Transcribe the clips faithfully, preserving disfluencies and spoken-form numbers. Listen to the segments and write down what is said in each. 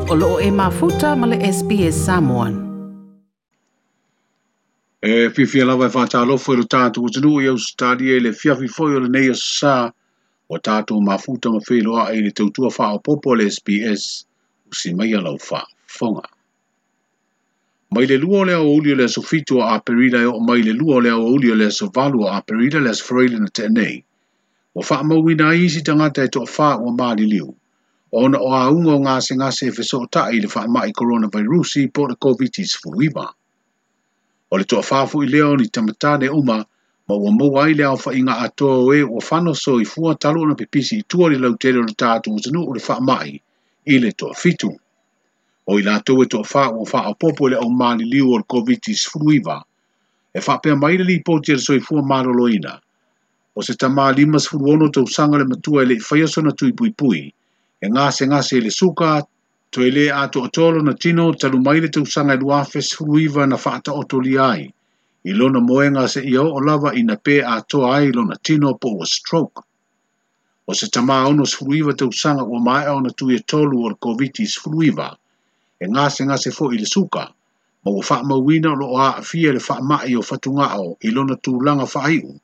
O loo e mafuta ma le S B S Samoan. E fiafia lava e faatalofa i lo tatou atunuu i Ausetalia i le fiafi foi o lenei aso sa ua tatou mafuta ma feiloai i le tautua faaopoopo a le S B S usi mai lau faafofoga. Mai le lua o le aoauli o le aso fitu o Aperila e oo mai le lua o le aoauli o le aso valu o Aperila le aso Faraile na tea nei. Ua faamauina ai isi tagata e toafā ua maliliu ona o auga o gasegase e fesootai i le faamai coronavirusi po o le COVID sefuluiva. O le toafā foi lea o ni tamatane uma ma ua maua ai le aofaiga atoa o e ua fano soifua talu ona pipisi i tua le lautele o le tatou atunuu le faamai i le toafitu. O i latou e toafā ua faaopoopo i le aumaliliu o le COVID sefuluiva e faapea mai le lipoti a le soifua maloloina. O se tamā lima sefulu ono tausaga le matua e le i faia sona tui puipui e gasegase i le suka toe le atoatoa lona tino talu mai le tausaga e lua afe sefuluiva na faataotolia ai i lona moega seia oo lava ina pe atoa ai lona tino po ua stroke. O se tamā ono sefuluiva tausaga ua maea ona tui e tolu o le COVID sefuluiva e gasegase foi i le suka ma ua faamauina o loo aafia le faamai o fatugao i lona tulaga faaiu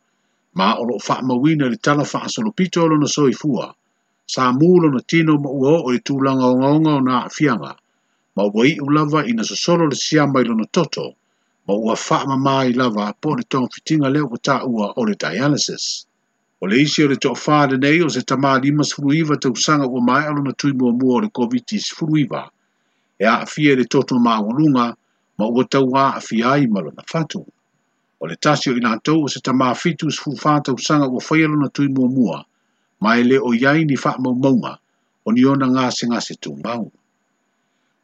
ma o loo faamauina le tala faasolopito o lona soifua. Sa mu lona tino ma ua oo i le tulaga ogaoga o na aafiaga ma ua iu lava ina sosolo le siama i lona toto ma ua faamama lava po o le togafitiga lea ua taua o le dialysis. O le isi o le toafā lenei o se tamā lima sefuluiva tausaga ua maea lona tui muamua o le COVID sefuluiva e aafia i le toto maualuga ma ua tau aafia ai ma lona fatu. O le tasi o i latou o se tamā fitu sefulu fa tausaga ua faia lona tui muamua ma e le o iai ni faamaumauga o ni ona gasegase tumau.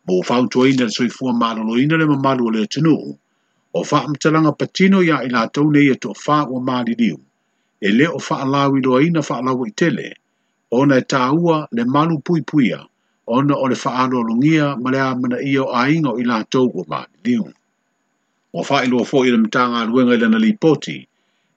Mo fautuaina le soifua maloloina le mamalu o le atunuu o faamatalaga patino ia i latou nei e toafā ua maliliu e le o faalauiloaina faalauaitele ona e taua le malu puipuia ona o le faaloalogia ma le amanaia o aiga o i latou ua maliliu. Ua faailoa foi i le Matagaluega i lana lipoti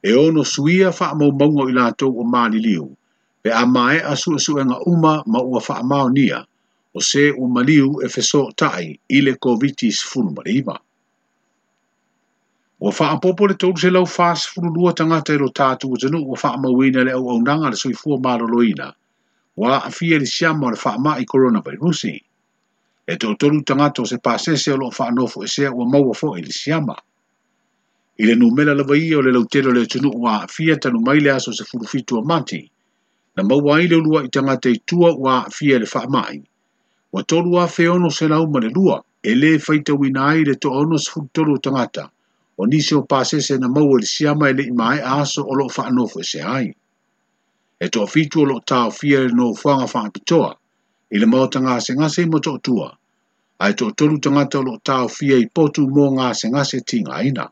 e ono suia faamaumauga o i latou ua maliliu pe a maea suesuega uma ma ua faamaonia o se ua maliu e fesootai i le COVID sefulu ma le iva. Ua faaopoopo le tolu selau fa sefulu lua tagata i lo tatou atunuu ua faamauina le auaunaga a le soifua maloloina ua aafia i le siama o le faamai coronavirusi. E toatolu tagata o se pasese o loo faanofoesea ua maua foi i le siama. I le numera lava ia o le lautele o le atunuu ua aafia talu mai le aso sefulu fitu o Mati na maua ai le uluai tagata i tua ua aafia i le faamai. Ua tolu afe ono selau ma le lua e le faitauina ai le toaono sefulu tolu o tagata o nisi o pasese na maua i le siama e le i maea aso o loo faanofoesea ai. E toafitu o loo taofia i le nofoaga faapitoa i le maota gasegase i Motootua ae toatolu tagata o loo taofia i potu mo gasegase tigaina.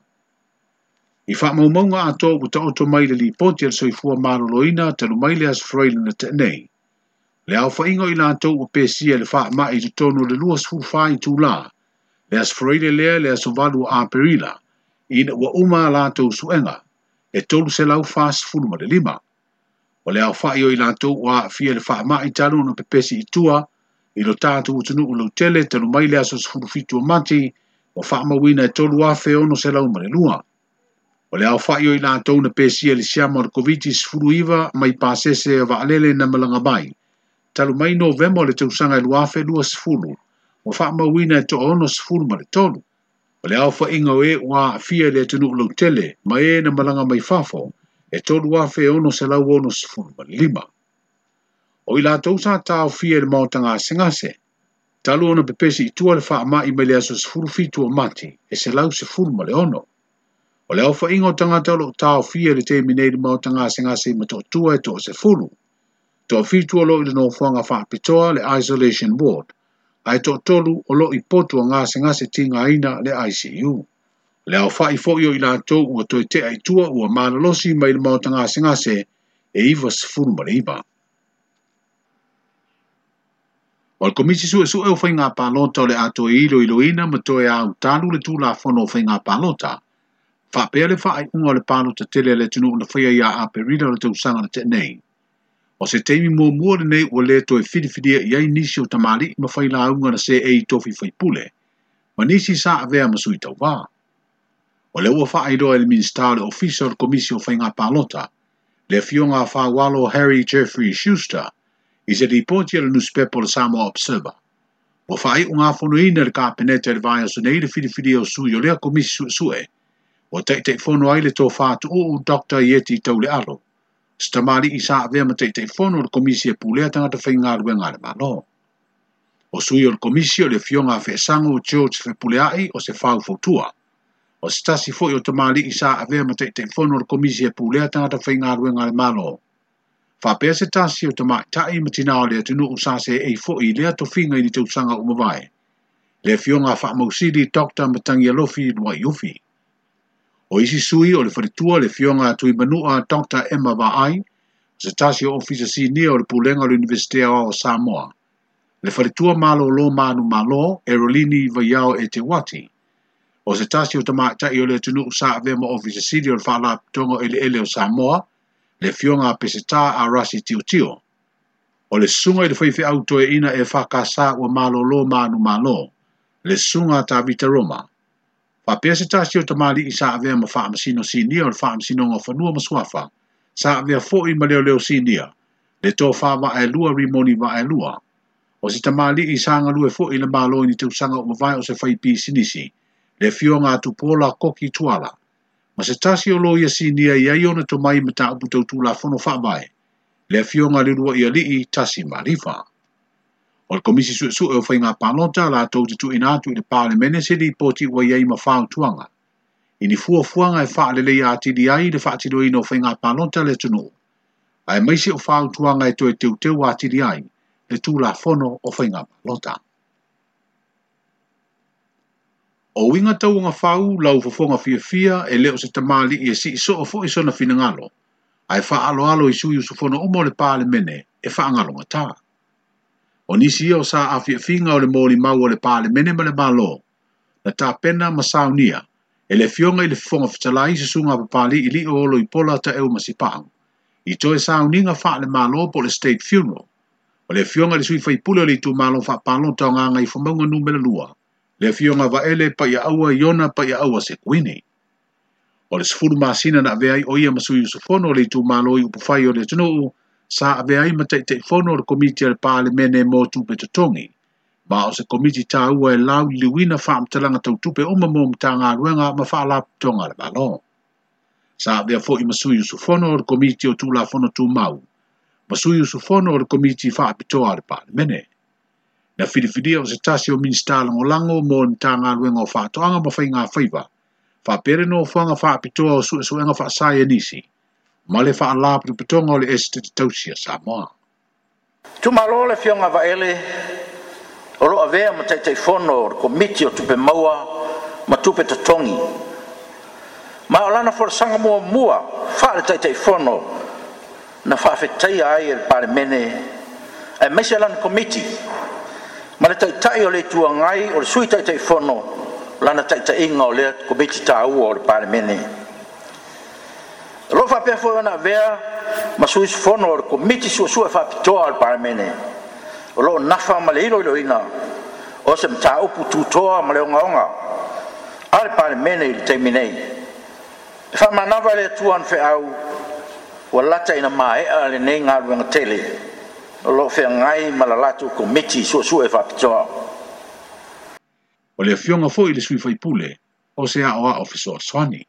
I faamaumauga atoa ua taoto mai le lipoti a le soifua maloloina talu mai le aso Faraile na tea nei. Le aofaiga o i latou ua pesia i le faamai i totonu o le lua sefulu fa itulā le aso Faraile lea le aso valu o Aperila ina ua uma a latou suega e tolu selau fa sefulu ma le lima. O le aofai o i latou ua aafia i le faamai talu ona pepesi i tua i lo tatou atunuu lautele talu mai le aso sefulu fitu o Mati ua faamauina e tolu afe ono selau ma le lua. O le aofai o i latou na pesia i le siama o le COVID sefuluiva mai pasese o vaalele na malaga mai talu mai Novema o le tausaga e lua afe lua sefulu ua faamauina e toaono sefulu ma le tolu. O le aofaiga o e ua aafia i le atunuu lautele ma e na malaga mai fafo e tolu afe ono selau ono sefulu ma le lima. O i latou sa taofia i le maota gasegase talu ona pepesi i tua le faamai mai le aso sefulu fitu o Mati e selau sefulu ma le ono. O le aofaiga o tagata o loo taofia i le taimi nei i le maota gasegase i Motootua e toasefulu. Toafitu o loo i le nofoaga faapitoa le isolation ward ae toatolu o loo i potu o gasegase tigaina le I C U. Le aofai foi o i latou ua toe tea i tua ua malolosi mai le maota gasegase e iva sefulu ma le iva. O le Komisi Suesue o Faiga Palota o le a toe iloiloina ma toe autalu le Tulafono o Faiga Palota faapea le faaiuga o le palota tele a le atunuu na faia ia Aperila o le tausaga na tea nei. O se taimi muamua lenei ua le toe filifilia i ai nisi o tamalii ma failauga na seei i tofi faipule, ma nisi sa avea ma sui tauvā. O lea ua faailoa e le Minisita o le Ofisa o le Komisi o Faiga Palota, le afioga a Faualo Harry Jeffrey Schuster, i se lipoti a le nusipepa o le Samoa Observer. Ua faaiugafonoina e le Kapeneta i le vaiaso nei le filifilia o sui o lea komisi suesue, ua taitaifono ai le tofā tuuu Doctor Ieti Taulealo, se tamalii sa avea ma taitaifono o le komisi e pulea tagata faigaluega a le Malo. O sui o le komisi o le afioga a Feesago George Fepuleai o se faufautua. O se tasi foi o tamalii sa avea ma taitaifono o le komisi e pulea tagata faigaluega a le Malo. Faapea se tasi o tamaitai ma tinā o le atunuu sa seei foi i lea tofiga i ni tausaga ua mavae, le afioga a Faamausili Doctor Matagialofi Luaiufi. O isi sui o le faletua le afioga a Tuimanua Doctor Emma Vaai, o se tasi o ofisa sinia o le pulega o le Iunivesite Aoao o Samoa, le faletua malolo manu malo Erolini Vaiao e Te Wati, o se tasi o tamaitai o le atunuu sa avea ma ofisa sili o le Faalapotopotoga o Eleele o Samoa, le afioga a Peseta a Rasi Tiotio. O le susuga i le faifeau toeaina e whakasa ua malolo manu malo, le susuga a Tavita Roma. Faapea se tasi o tamalii sa avea ma faamasino sinia o le faamasinoga o fanua ma suafa, sa avea foi ma leoleo sinia, le tofā vaelua Rimoni vaelua. O se tamalii sa galue foi i le malo i ni tausaga ua mavae o se faipisinisi, le afioga a Tupuola Koki Tuala. Ma se tasi o loia sinia i ai ona tomai mataupu tau tulafono faavae, le afioga a le Uluai Alii Tasi Malifa. O le komisi suesue o Faiga Palota latou te tuuina atu i le Palemene se lipoti ua i ai ma fautuaga, i ni fuafuaga e faaleleia atili ai le faatinoina o Faiga Palota a le atunuu, aemaise o fautuaga e toe teuteu atili ai le Tulafono o Faiga Palota. O uiga tauagafau lau fofoga fiafia e le o se tamalii e siisoo foi sona finagalo, ae faaaloalo i sui usufono uma o le Palemene e faagalogatā. O nisi ia o sa afiafiga o le molimau o le Palemene ma le Malo, na tapena ma saunia e le afioga i le Fofoga Fetalai susuga a Papali'i Lio o Loipola Taeu ma Sipa'au, i toe sauniga faale-Malo po o le State Funeral, o le afioga i le sui faipule o le itumalo faapalota o Gagaifomauga numera lua, le afioga Vaele Paiaaua Iona Paiaaua Sekuini. O le sefulu masina na avea ai o ia ma sui usufono o le itumalo i upufai o le atunuu, sa avea ai ma taitaifono o le komiti a le Palemene mo tupe totogi, ma o se komiti tāua e lauliliuina faamatalaga tautupe uma mo Matagaluega ma Faalapotopotoga a le Malo. Sa avea foi ma sui usufono o le komiti o Tulafono Tumau, ma sui usufono o le komiti faapitoa a le Palemene. Na filifilia o se tasi o Minisita Lagolago mo le Matagaluega o Faatoaga ma Faiga Faiva, faapea le nofoaga faapitoa o suesuega faasaienisi, ma le Faalapotopotoga o le Esetete Tausi a Samoa. Tumalo le afioga Vaele o loo avea ma taitaifono o le Komiti o Tupe Maua ma Tupe Totogi. Ma o lana folasaga muamua faale taitaifono na faafetaia ai e le Palemene aemaise lana Komiti ma le taitai o le Itu Agai o le sui taitaifono lana taitaiga o lea Komiti taua o le Palemene. O loo faapea foi ona avea ma sui usufono o le Komiti Suesue Faapitoa o le Palemene o loo nafa ma le iloiloina o se mataupu tutoa ma le ogaoga a le Palemene i le taimi nei. E faamanava e le Atua ona feau ua lata ina maea lenei galuega tele o loo feagai ma la latou Komiti Suesue Faapitoa. O le afioga foi i le sui faipule o se aoao fesoasoani.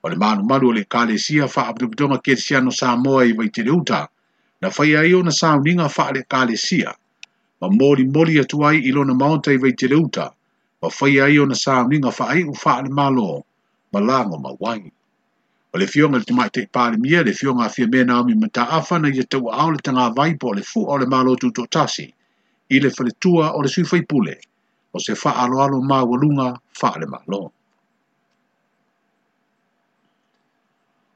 O le malumalu o le Ekalesia Faalapotopotoga Kerisiano Samoa i Vaiteleuta, na faia ai ona sauniga faale-ekalesia, ma molimoli atu ai i lona maota i Vaiteleuta, ma faia ai ona sauniga faaiu faale-Malo ma lago mauai. O le afioga i le Tamaitai Palemia, le afioga a Fiamē Naomi Mataafa na ia tauaao le tagavai po o le fua o le Malo Tutoatasi i le faletua o le sui faipule, o se faaaloalo maualuga faale-Malo.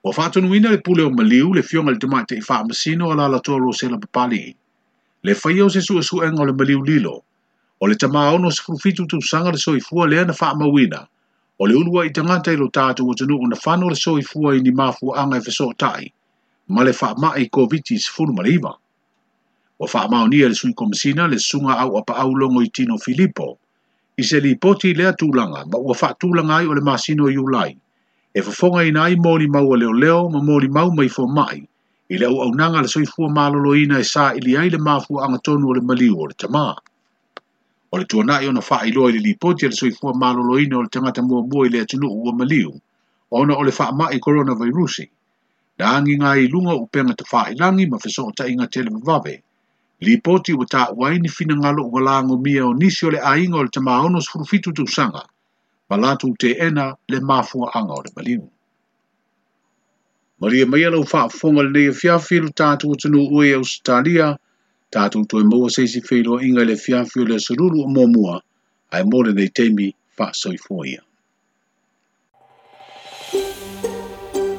Ua faatonuina le pule o Maliu, le afioga i le Tamaitai Faamasino a Alaalatoa Rosela Papali'i, le faia o se suesuega o le maliu lilo, o le tama ono sefulu fitu tausaga le soifua lea na faamauina, o le uluai tagata i lo tatou atunuu na fano le soifua i ni mafuaaga e fesootai, Ma le faamai Koviti sefulu ma le iva. Ua faamaonia e le Sui Komesina le Susuga Auapaau Logoitino Filipo i se lipoti i lea tulaga ma ua faatulaga ai o le masina o Iulai e fofogaina ai molimau a leoleo ma molimau mai fomai i le auaunaga a le soifua maloloina e saili ai le mafuaaga tonu o le maliu o le tamā. O le tuanai ona faailoa i le lipoti a le soifua maloloina o le tagata muamua i le atunuu ua maliu ona o le faamai koronavairusi, na agiga ai i luga o upega tafailagi ma fesootaiga televavave. Lipoti ua taua ai ni finagalo ua lagomia o nisi o le aiga o le tamā ono sefulu fitu tausaga ma latou teena le mafuaaga o le maliu. Malie maia lau faafofoga lenei afiafi lo tatou atunuu e Ausetalia, tatou toe maua se isi feiloaiga i le afiafi o le aso lulu o muamua, ae mo lenei taimi faasoifua ia.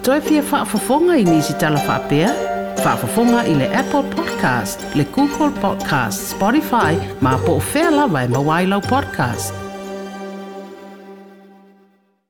Toe fia faafofoga i nisi tala faapea? Faafofoga i le Apple Podcast, le Google Podcast, Spotify, ma po o fea lava e maua ai lau podcast.